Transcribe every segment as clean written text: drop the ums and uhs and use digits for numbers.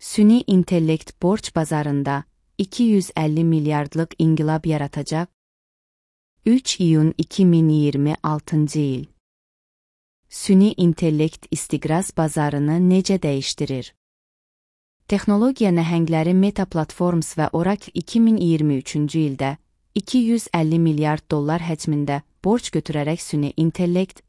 Süni intellekt borc bazarında 250 milyardlıq inqilab yaratacaq. 3 iyun 2026 il. Süni intellekt istiqraz bazarını necə dəyişdirir? Texnologiya nəhəngləri Meta Platforms və Oracle 2023-cü ildə 250 milyard dollar həcmində borc götürərək süni intellekt,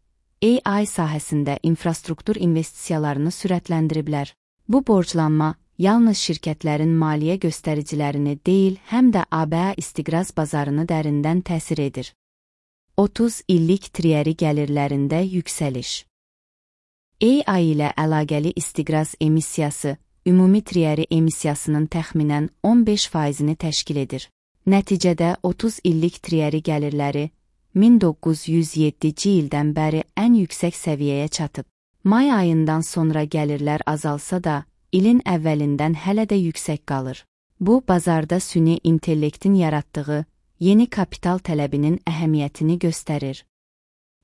AI sahəsində infrastruktur investisiyalarını sürətləndiriblər. Bu borclanma yalnız şirkətlərin maliyyə göstəricilərini deyil, həm də ABA istiqraz bazarını dərindən təsir edir. 30 illik triyəri gəlirlərində yüksəliş. AI ilə əlaqəli istiqraz emissiyası, ümumi triyəri emissiyasının təxminən 15%-ni təşkil edir. Nəticədə 30 illik triyəri gəlirləri 1907-ci ildən bəri ən yüksək səviyyəyə çatıb. May ayından sonra gəlirlər azalsa da, ilin əvvəlindən hələ də yüksək qalır. Bu, bazarda süni intellektin yaratdığı yeni kapital tələbinin əhəmiyyətini göstərir.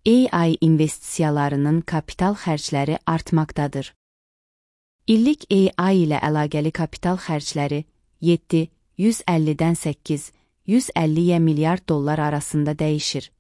AI investisiyalarının kapital xərcləri artmaqdadır. İllik AI ilə əlaqəli kapital xərcləri 150-dən 850 milyard dollar arasında dəyişir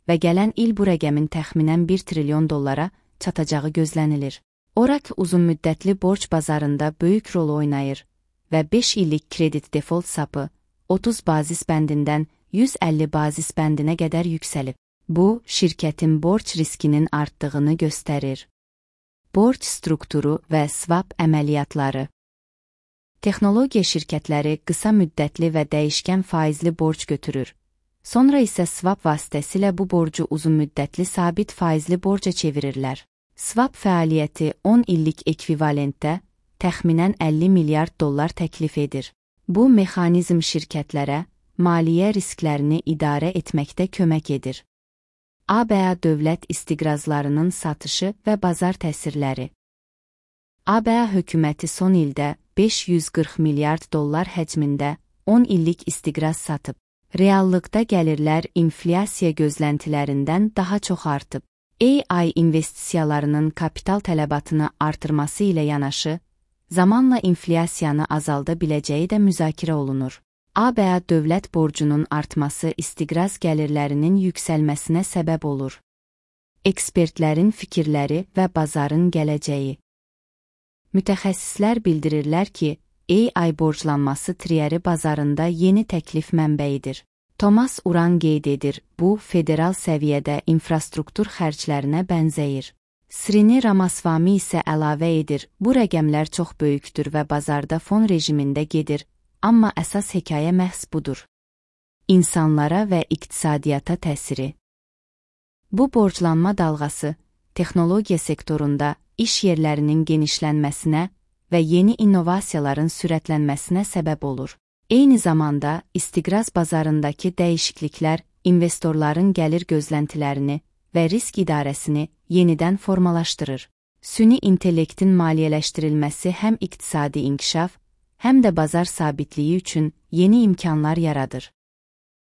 və gələn il bu rəqəmin təxminən 1 trilyon dollara çatacağı gözlənilir. Oracle uzunmüddətli borc bazarında böyük rol oynayır və 5 illik kredit default sapı 30 bazis bəndindən 150 bazis bəndinə qədər yüksəlib. Bu, şirkətin borc riskinin artdığını göstərir. Borc strukturu və swap əməliyyatları. Texnologiya şirkətləri qısa müddətli və dəyişkən faizli borc götürür. Sonra isə swap vasitəsilə bu borcu uzunmüddətli sabit faizli borca çevirirlər. Swap fəaliyyəti 10 illik ekvivalentdə təxminən 50 milyard dollar təklif edir. Bu mexanizm şirkətlərə maliyyə risklərini idarə etməkdə kömək edir. ABA dövlət istiqrazlarının satışı və bazar təsirləri. ABA hökuməti son ildə 540 milyard dollar həcmində 10 illik istiqraz satıb. Reallıqda gəlirlər inflyasiya gözləntilərindən daha çox artıb. AI investisiyalarının kapital tələbatını artırması ilə yanaşı, zamanla inflyasiyanı azalda biləcəyi də müzakirə olunur. ABA dövlət borcunun artması istiqraz gəlirlərinin yüksəlməsinə səbəb olur. Ekspertlərin fikirləri və bazarın gələcəyi. Mütəxəssislər bildirirlər ki, AI borclanması triyəri bazarında yeni təklif mənbəyidir. Thomas Uran qeyd edir, bu, federal səviyyədə infrastruktur xərclərinə bənzəyir. Srini Ramaswamy isə əlavə edir, bu rəqəmlər çox böyükdür və bazarda fon rejimində gedir, amma əsas hekayə məhz budur. İnsanlara və iqtisadiyyata təsiri. Bu borclanma dalğası, texnologiya sektorunda iş yerlərinin genişlənməsinə və yeni innovasiyaların sürətlənməsinə səbəb olur. Eyni zamanda, istiqraz bazarındakı dəyişikliklər investorların gəlir gözləntilərini və risk idarəsini yenidən formalaşdırır. Süni intellektin maliyyələşdirilməsi həm iqtisadi inkişaf, həm də bazar sabitliyi üçün yeni imkanlar yaradır.